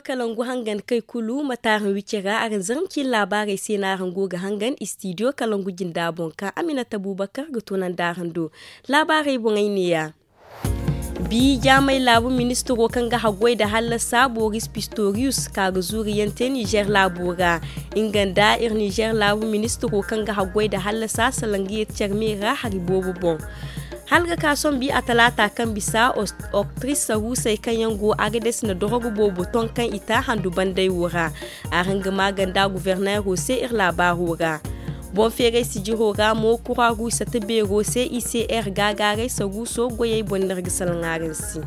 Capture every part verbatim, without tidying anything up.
Kalangu hangan kay kulu ma taaran wici ra araŋ zarma ciine laabaarey se no araŋ go ga hangan istidiyo kalangu jinda boŋ ka aminata bubakar ga tunandi araŋ do. Laabaarey boŋey neeya. Bi jaamay laabu ministiro kaŋ ga haggoy nda hallasa boris pistoriyus ka ga zuuriyaŋ te nizer laabo ra. Nga nda iri nizer laabu ministiro kaŋ ga haggoy nda hallasa salaŋ ga yeeti care me ra hari boobo boŋ. Hala ga ka sombi a talaata kaŋ bisa oktris saruusey kaŋ yaŋ go agades na dorogo boobo ton kaŋ i ta handu banday wo ra. Araŋ ga maaganda guverneero se iri laabaaro ra. Boŋ feeray sijiro ra mo kuraru sata beero se i se iri gaagaaray saruuso goyey boŋ no iri ga salaŋ araŋ se.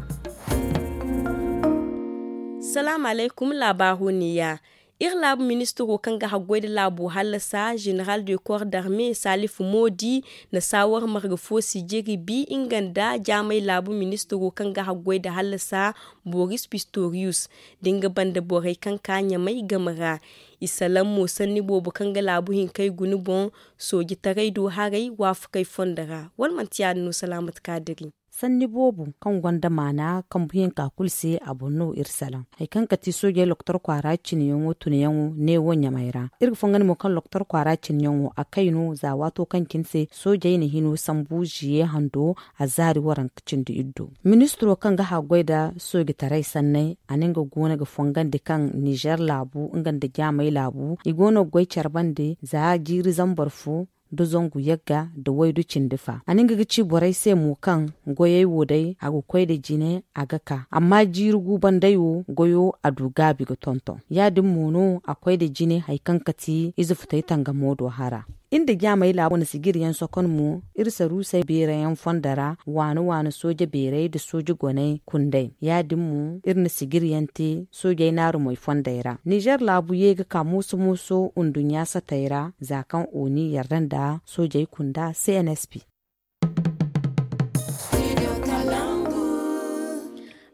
Salaamu alaykum laabaaro neeya. Iri laabu ministiro kaŋ ga haggoy nda laabo hallasa jeneral de kor darme salifu moodi na saawar marga fo sijiri bi nga nda jaamay laabu ministiro kaŋ ga haggoy nda hallasa boris pistoriyus da nga banda borey kaŋ ka ɲamay game ra. I salaŋ mo sanni boobo kaŋ ga laabu hinkey guna boŋ soojitaray do haray waafakey fondo ra wala manti ya- din no salaamat kaadiri. Sanni boobo kaŋ gonda maana kambuyaŋ ka kulu se a boŋ no iri salaŋ. Hari kaŋ ga ti soojey loktor kwaara cinayaŋo tunayaŋo neewo ɲamay ra. Iri ga fongan mo kaŋ loktor kwaara cinayaŋo a kay no za waato kaŋ cine se soojey na hino sambu ziye hando a zaari waranka cindi iddo. Ministiro kaŋ ga haggoy nda soojitaray sanney a na nga goono ga fongandi kaŋ nizer laabu nga nda jaamay laabu i goono ga goy care bande za jiiri zambar fo nda zangu yagga nda waydu cindi fa a na nga ga ci borey se mo kaŋ goyey wo day a ga koy nda jine a ga ka amma jiiri gu banday wo goyo a du gaabi ga tonton ya- din mo no a koy nda jine hari kaŋ ga ti ize futay tangamo do hara. Iri nda jaamay laabo na sijiriyaŋ sokon mo iri saruusey beerayaŋ fondo ra waani waani sooje beeray nda sooje goney kundey ya- din mo iri na sijiriyaŋ te soojey naarumey fondey ra nizer laabu ye ga ka mooso mooso nduɲɲa satey ra za kaŋ oni yarda nda soojey kunda cnsp.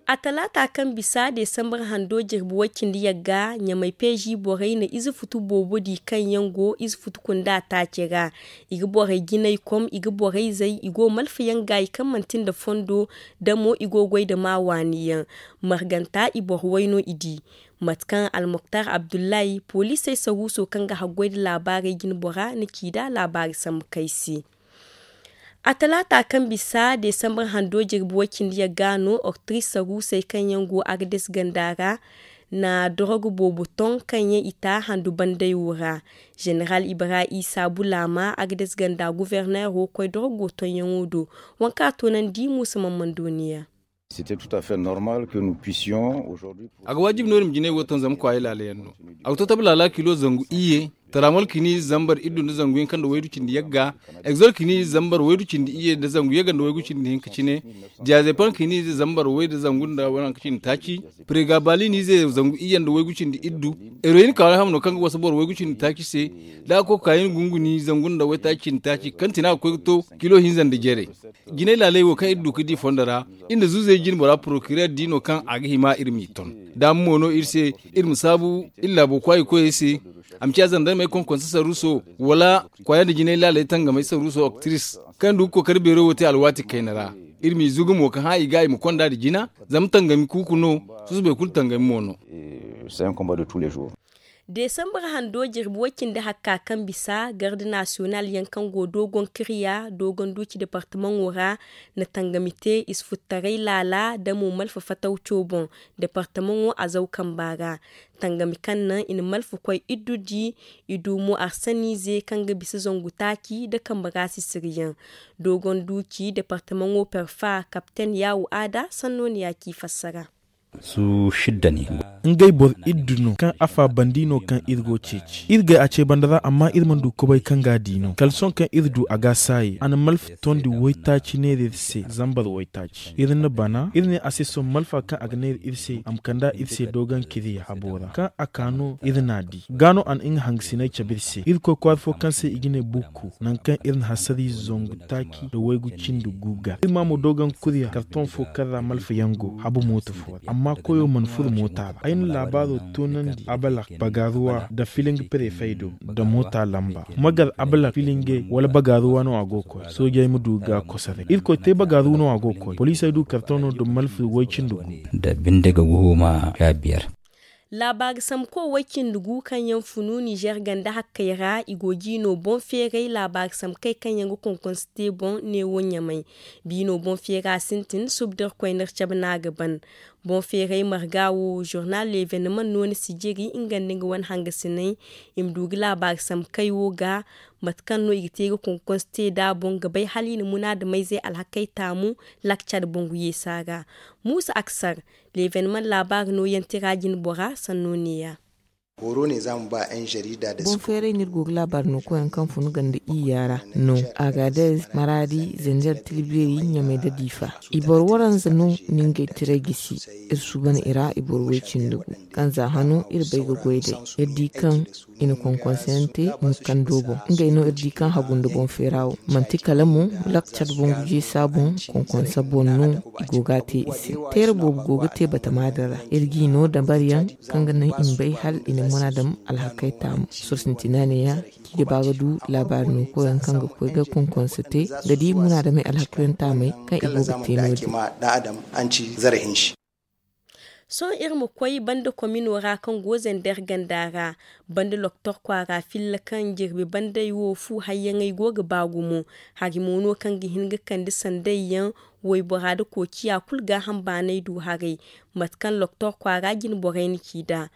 A talaata kaŋ bisa desambar hando jirbi way cindi yagga ɲamay peezi borey na ize futu boobo di kaŋ yaŋ go ize futu kunda taaci ra. I ga borey jinay kom i ga borey zay i go malfa yaŋ gaayi kaŋ manti nda fondo da mo i go goy nda maa waani yaŋ. Marganta i boro way no i di. Mate kaŋ almoktar abdullahi poliisey saruuso kaŋ ga haggoy nda laabaarey jinbora na ci nd'a laabaari sambu kay se. A talaata kaŋ bisa desambar hando jirbi way cindi yagga no oktris saruusey kaŋ yaŋ go agades ganda ra na dorogo boobo ton kaŋ yaŋ i ta handu banday wo ra. Zeneral ibrahim isa bulaama agades ganda guverneero koy dorogo tonyaŋo do. Waŋ kaŋ a toonandi muusa mammando niya. A ga waajib no iri ma jinay wo taŋ zama kwaayey laala yaŋ no. A ga to tabi laala kilo zangu iyye, taramol kini zambar iddu nda zangu hinka nda waydu cindi yagga, egzol kini zambar waydu cindi iyye nda zangu yagga nda waygu cindi hinka cine, diyazepan kini zambar way nda zangu nda waranka cindi taaci, pregabalin ize zangu iyye nda waygu cindi iddu. Eroyin ka wala hamo no kaŋ ga wasa boro waygu cindi taaci se. Da a koy ka kaayin gunguni zangu nda waytaaci cindi taaci kaŋ ti no a ga koy ga to kilo hinza nda jere. Jinay laaley wo kaŋ iri du ga di fondo ra, iri nda zuuzey jine bora porokirer di no kaŋ a ga hima iri m'i ton. Daama mo no iri se iri ma saabu iri laabo kwaayi koyey se. A ma ciya zandarmey konkonse saruuso wala kwaaya nda jinay laaley tangamey saruuso oktris kaŋ du ga kookari beero wo te alwaati kayna ra. Iri m'i zugu mo ga hã i ga i ma konda nda jina. Zama tangami kuuku no. Susubay kulu tangami mo no. Desambar hando jirbi way cindi hakka kaŋ bisa garde nasiyonal yaŋ kaŋ go doogon kirya doogon duuci departamaŋo ra na tangami te i si futtaray laala da mo malfa fatawco boŋ. Departamaŋo azaw kamba ra tangami kaŋ naŋ i na malfa koy iddu di. I du mo arsaniize kaŋ ga bisa zangu taaci nda kambe ra sisiriyaŋ. Doogon duuci departamaŋo perfa kapten yaawu aada sanno ni ya ci fassara. Ngey boro iddu no kaŋ afa bandi no kaŋ iri go ceeci iri gay a ce banda ra amma iri mana du kobay kaŋ ga a di no kala sohõ kaŋ iri du a ga a saayi a na malfa tondi waytaaci neera iri se zambar waytaaci iri na bana iri ne a se sohõ malfa kaŋ a ga neera iri se a ma kand'a iri se doogon kiriya habo ra kaŋ a ka no iri n'a di ga no a na nga hangasiney cabe iri se irkoy kwaara fo kaŋ se i ga ne bukku nangu kaŋ iri na hasariize zangu taaci nda waygu cindi gu ga iri ma mo doogon kuriya kartoŋ fo kaŋ ra malfa yaŋ go habu mooto fo ra amma koyo mana furo moota ra ay na laabaaro toonandi abalak bagaaruwa nda filinga prefey do nda moota lamba magar abalak filingey wala bagaaruwa no a go ga koy soojey ma du ga kosoray irkoy te bagaaru no a go ga koy poliisey du kartoŋo nda malfa way cindi gu. Nda binde ga guhuma sha biyar. Laabaari samko way cindi gu kaŋ yaŋ funu nizeer ganda hakkey ra i go ga i no boŋ feeray laabaari samkey kaŋ yaŋ ga konkonse te boŋ neewo ɲamay. Biino boŋ feera sintin suba da irkoy n'iri cabe no a ga ban. Boŋ feeray marga wo zurnal leevenemaŋ no ni si jiri nga nda nga wane hangasiney. I ma du ga laabaari samkey wo ga mate kaŋ no i ga te ga konkonse te nd'a boŋ ga bay hala i na munaadamayzey alhakey taamu lakcar boŋ ga yeesa ra. Muusa aksar leevenemaŋ laabaari nooyaŋ tira jine bora sanno neeya. Boŋ feeray no iri go ga laabaari no koyyaŋ kaŋ funu ganda iyya ra no, agaadez, maraadi, zanjar, tilbeeri, ɲamay nda diifa. I boro waranza no ni ngey tiray gisi. Iri suuban i ra i boro way-cindi gu kaŋ za hano iri bay ga goy day. Iri di kaŋ i na konkonseyaŋ te mukkando boŋ. Ngey no iri di kaŋ hagu nda boŋ feera wo manti kala mo lakcar boŋ ga jeesa boŋ. Konkonse boŋ no i go ga a te i se. Teera boobo go ga te batama din ra. Iri g'i no dabariyaŋ kaŋ ga naŋ i ma bay hala i na munaadam alhakey taamu. Soro sintina neeya kaŋ i ga ba ga du laabaari no koyyaŋ kaŋ ga koy ga konkonse te ga di munaadamey alhakey taamey kaŋ i go ga te no-din. Sohõ iri ma koy banda komino ra kaŋ go zander ganda ra. Banda loktor kwaara filla kaŋ jirbi bandey wo fu hayyaŋey go ga ba gumo. Hari mo no kaŋ ga hin ga kande sandey yaŋ waybora nda koociya kulu gaaham baanay du haray. Mate kaŋ loktor kwaara jine borey na ci nd'a.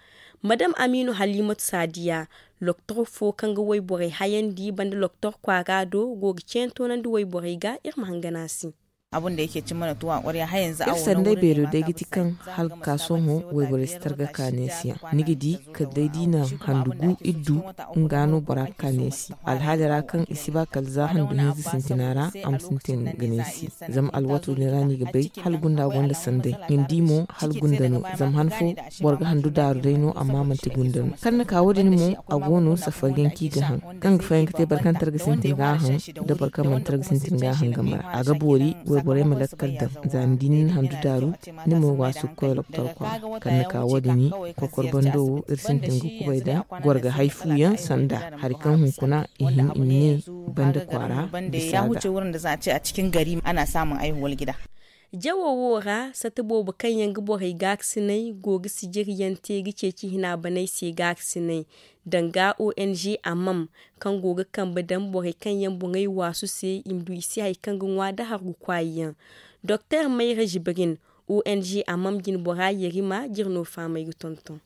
Madam amiinu halimatu saadiya, loktor fo kaŋ ga wayborey hayandi banda loktor kwaara do go ga ceeyaŋ toonandi wayborey ga iri ma hangan a se. Iri sanday beero day ga ti kaŋ hala ga ka sohõ wayborey si targa kaaneesiyaŋ. Ni ga di kala day da i na handu gu iri du nga no bora ga kaaneesi. Alhaali ra kaŋ i si ba kala za handu hinza sintina ra a ma sintin ga neesi. Zama alwaato din ra no i ga bay hala gunda gonda sanday. Ni di mo hala gunda no zama han fo boro ga handu daaru day no amma manti gunda no kaŋ ni ka wo- din mo. A go no safari yaŋ kaŋ i ga haŋ kaŋ ga fayanka te boro kaŋ targa sintin ga a haŋ da boro kaŋ mana targa sintin ga a haŋ game ra a ga boori wayborey ma lakkal daŋ. Za ni di ni na handu daaru ni ma waasu ga koy loktor kwaara kaŋ ni ka wo- din. Kokor bando wo iri sintin ga kubay daŋ goro ga hay fu yaŋ sanda hari kaŋ hunkuna i hin i ma ne banda kwaara bisa ga. Jawo wo ra sata boobo kaŋ yaŋ ga borey gaakasinay go ga sijiriyaŋ te ga ceeci hina baney se gaakasinay danga ong amam kaŋ go ga kambe daŋ borey kaŋ yaŋ boŋey waasu se i ma du i se hari kaŋ ga ŋwa da hargu kwaayi yaŋ. Doktor mayra zibirin ong amam jine bora yerima jire no fahamey ga tonton.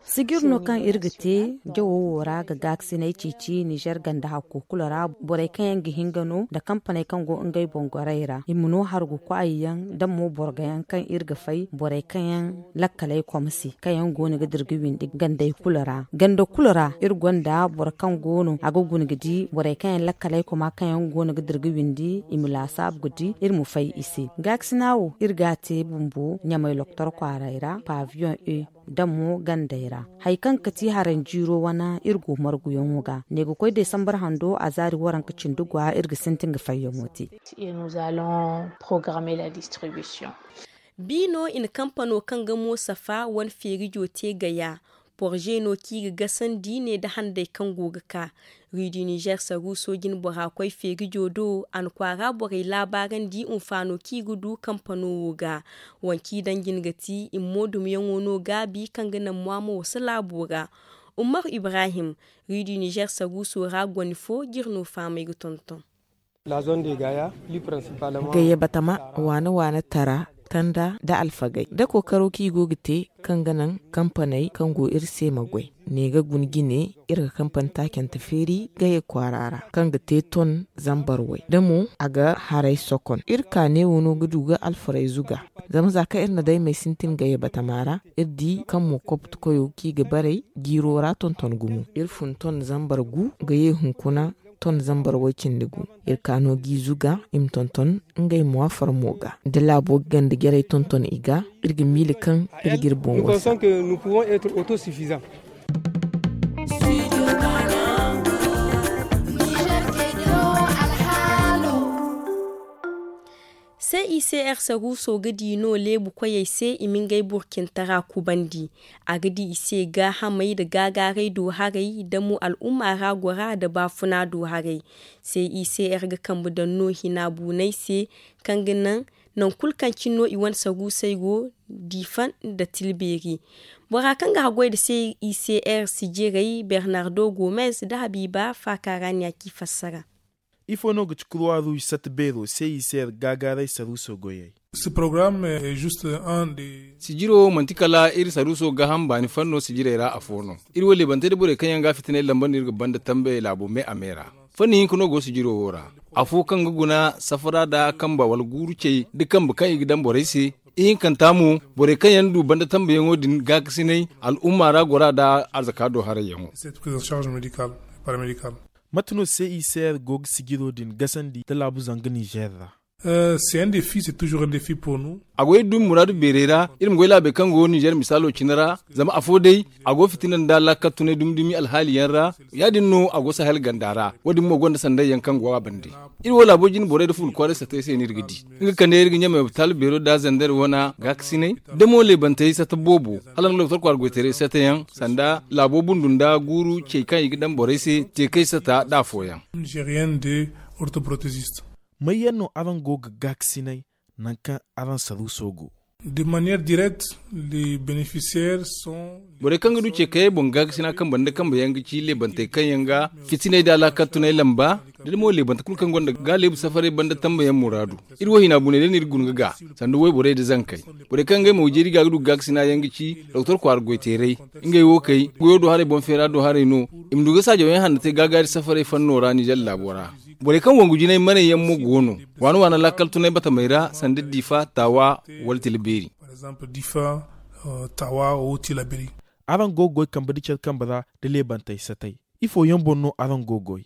Sijir no kaŋ iri ga te jawo wo ra ga gaakasinay ceeci nizer ganda hakko kulu ra borey kaŋ yaŋ ga hinga no nda kampaney kaŋ go ngey boŋ gorey ra i ma no hargu kwaayi yaŋ da mo borgo yaŋ kaŋ iri ga fay borey kaŋ yaŋ lakkaley koma se kaŋ yaŋ go no ga dira ga windi gandey kulu ra ganda kulu ra iri gonda boro kaŋ go no a ga guna ga di borey kaŋ yaŋ lakkaley koma kaŋ yaŋ go no ga dira ga windi i ma laasaabu ga di iri ma fay i se. Gaakasina wo iri ga a te bumbo ɲamay loktor kwaaray ra paviyoŋ e da mo gandey ra. Hari kaŋ ga ti haranjiiro wane iri go marguyaŋo ga ne ga koy desambar hando a zaari waranka cindi gwa iri ga sintin ga fayyaŋo te. Bi no i na kampano kaŋ ga mo safa wane feerijo te gaya. Porze no kaŋ i ga gasandi ne nda handey kaŋ go ga ka. Rue du nizer saruuso jine bora koy feerijo do a na kwaara borey laabaarandi hunfaano kaŋ i ga du kampano wo ga. Waŋ kaŋ i daŋ jine ga ti i ma mo dumyaŋo no gaabi kaŋ ga naŋ mo a ma wasa laabo ra. Umaru ibrahim, rue du nizer saruuso ra goni fo jire no fahamey ga tonton. Gayyabatama waane waane tara tanda nda alfagey nda kookaro kaŋ i go ga te kaŋ ga naŋ kampaney kaŋ go iri se ma goy. Ne ga guna jine iri ga kampani taacante feeri gayey kwaara ra kaŋ ga te ton zambar way da mo a ga haray sokon iri ka neewo no ga du ga alfarayzu ga. Zama za kaŋ iri na daymey sintin gayyabatama ra iri di kaŋ mo koptu koyo kaŋ i ga baray jiiro ra tonton gumo iri fun ton zambar gu gayey hunkuna ton zambar way cindi gu. Iri ka no g'i zuga i ma tonton ngey mo a farmo ga da laabo ga ganda jarey tonton i ga. Iri ga miila kaŋ iri ga iri boŋ wasa. C I C R saruuso ga di no leebu koyey se i ma ngey burcintara kubandi. A ga di i se gaahamey nda gaagaaray do haray da mo al'umma ra gora nda baafuna do haray. C I C R ga kambe daŋ no hina buunay se kaŋ ga naŋ Nangu kulu kaŋ cine no i wane saruusey go, diifa nda tilbeeri. Bora kaŋ ga haggoy nda se i se r sijirey bernardo gomez nda habiiba faaka ra ne a ci fassara. Ifo no ga ci kurwa ruuj sata beero se i se r gaagaaray saruuso goyey? Sijiro wo manti kala iri saruuso gaaham baani fanno sijirey ra afo no. Iri wo leebantey nda borey kaŋ yaŋ ga a fitinay lamba no iri ga banda tambey laabo me a me ra. Fanni hinka no go sijiro wo ra. Afo kaŋ ga guna safara nda kamba wala guuru cey nda kambe kaŋ i ga daŋ borey se. Ihinkanta mo, borey kaŋ yaŋ du banda tambayaŋo din gaakasinay al'umma ra gora nda arzaka do harayyaŋo. Mate no se i se r go ga sijiro din gasandi nda laabu zanga nizer ra? A go iri du iri muraadu beerey ra iri ma goy laabey kaŋ go ninzeer misaalo cine ra. Zama afo day a go fitina nda laakal tunay dumi dumi alhaali yaŋ ra. Ya- din no a go sahel ganda ra. Wo- din mo gonda sanday yaŋ kaŋ go a bande. Iri wo laabo jine borey nda fuula kwaaray satay se no iri ga di. Nga kande iri ga ɲamay opitaal beero nda zander wana gaakasinay, da mo leebantey sata boobo, hala nga doktor kwaara goytaray sata yaŋ sanda laabo bundu nda guuru cey kaŋ i ga daŋ borey se, teekay sata nda afooyaŋ. May yaŋ no araŋ go ga gaakasinay nangu kaŋ araŋ saruuso go? De manière directe, les bénéficiaires sont. Borey kaŋ ga du ce kayey boŋ gaakasina kambe nda kambe yaŋ ga ci leebantey kaŋ yaŋ ga fitiney nda alaakal tunay lamba, da mo leebante kulu kaŋ gonda gaaleebu safaray banda tambayaŋ muraadu. Iri wo hina buney day no iri ga guna ga ga sanda wayborey nda zankey. Borey kaŋ ngey mo ga jeeri ga ga du gaakasina yaŋ ga ci doktor kwaara goyteeray. Ngey wo kay goyo do haray boŋ feera do haray no. I ma du ga saajawyaŋ hanno te gaagaari safaray fanno ra ninzeer laabo ra. Borey kaŋ wangu jinay maney yaŋ mo go no. Waana waana laakal tunay batamey ra sanda diifa taawa wala tila beeri. Araŋ go ga goy kambe nda care kambe ra nda leebantey satay? Ifo yaŋ boŋ no araŋ go ga goy?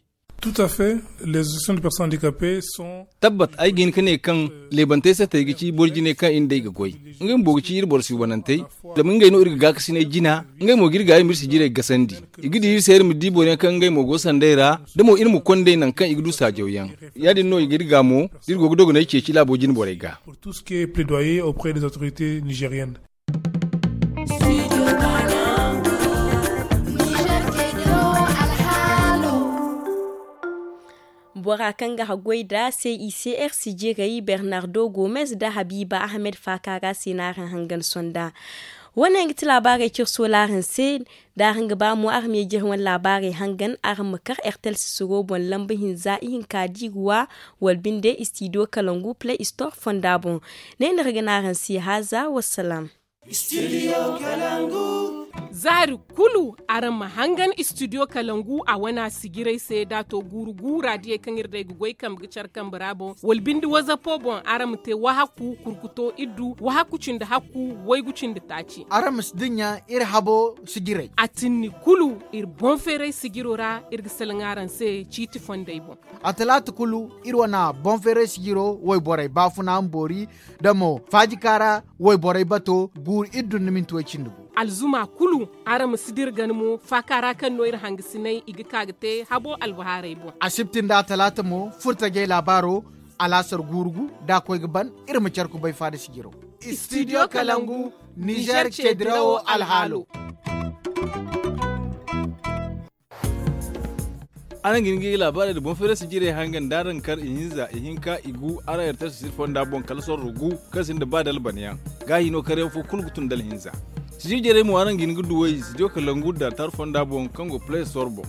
Tabbat ay ga hin ga ne kaŋ leebantey satey ga ci boro jinay kaŋ iri nd'ey ga goy. Ngey bumbo ga ci iri boro suubanantey. Zama ngey no iri ga gaakasinay jina. Ngey mo ga iri gaayi ma iri sijirey gasandi. I ga di iri se iri ma di boro yaŋ kaŋ ngey mo go sanday ra. Da mo iri ma konda ey nangu kaŋ i ga du saajawyaŋ. Ya- din no i ga iri ga mo da iri go ga dogonay ceeci laabo jine borey ga. Bora kaŋ ga haggoy nda c i c r sijirey bernardo gomez nda habiiba ahmed faaka ra se no araŋ hangan sonda. Wo- ne yaŋ ga ti laabaarey cire soola araŋ se. Da araŋ ga ba mo araŋ ma ye jire wane laabaarey hangan araŋ ma kar ertel sisiro boŋ lamba hinza ihinka diiruwa wala binde istidiyo kalangu play store fonda boŋ. Ne no iri ga ne araŋ se haaza wassalaam. Zaari kulu araŋ ma hangan istidiyo kalangu a wana sijirey se da a to guuru guura diyey kaŋ iri day ga goy kambe ga care kambe ra boŋ wala binde wazapo boŋ araŋ ma te wahakku kurkuto iddu wahakku cindi hakku waygu cindi taaci. Araŋ ma si dinya iri habo sijirey a tinni kulu. Iri boŋ feeray sijiro ra iri ga salaŋ araŋ se ciiti fondey boŋ. A talaata kulu iri wane boŋ feeray sijiro wayborey baafuna ma boori da mo faajikaara wayborey bato guuru iddu nda minti way cindi gu. Alzuma kulu araŋ ma si dira gana mo faaka ra kaŋ no iri hangasinay i ga ka ga te habo albahaarey boŋ. Asibti nda a talaata mo furtajey laabaaro alaasar guuru gu da a koy ga ban. Iri ma care kubay faada sijiro. Istidiyo kalangu nizer ceedirawo alhaalo. Araŋ ga hin ga laabaarey nda boŋ feeray sijirey hangan da araŋ kar ihinza ihinka igu araŋ ertel sisir fonda boŋ kala sorro gu kaŋ sinda ba dalbanyaŋ. Gaahi no karyaŋ fo kulu ga tun dala hinza. Sijir jarey mo araŋ ga hin ga duw'ey studio kalangu da tar fonda boŋ kaŋ go play store boŋ.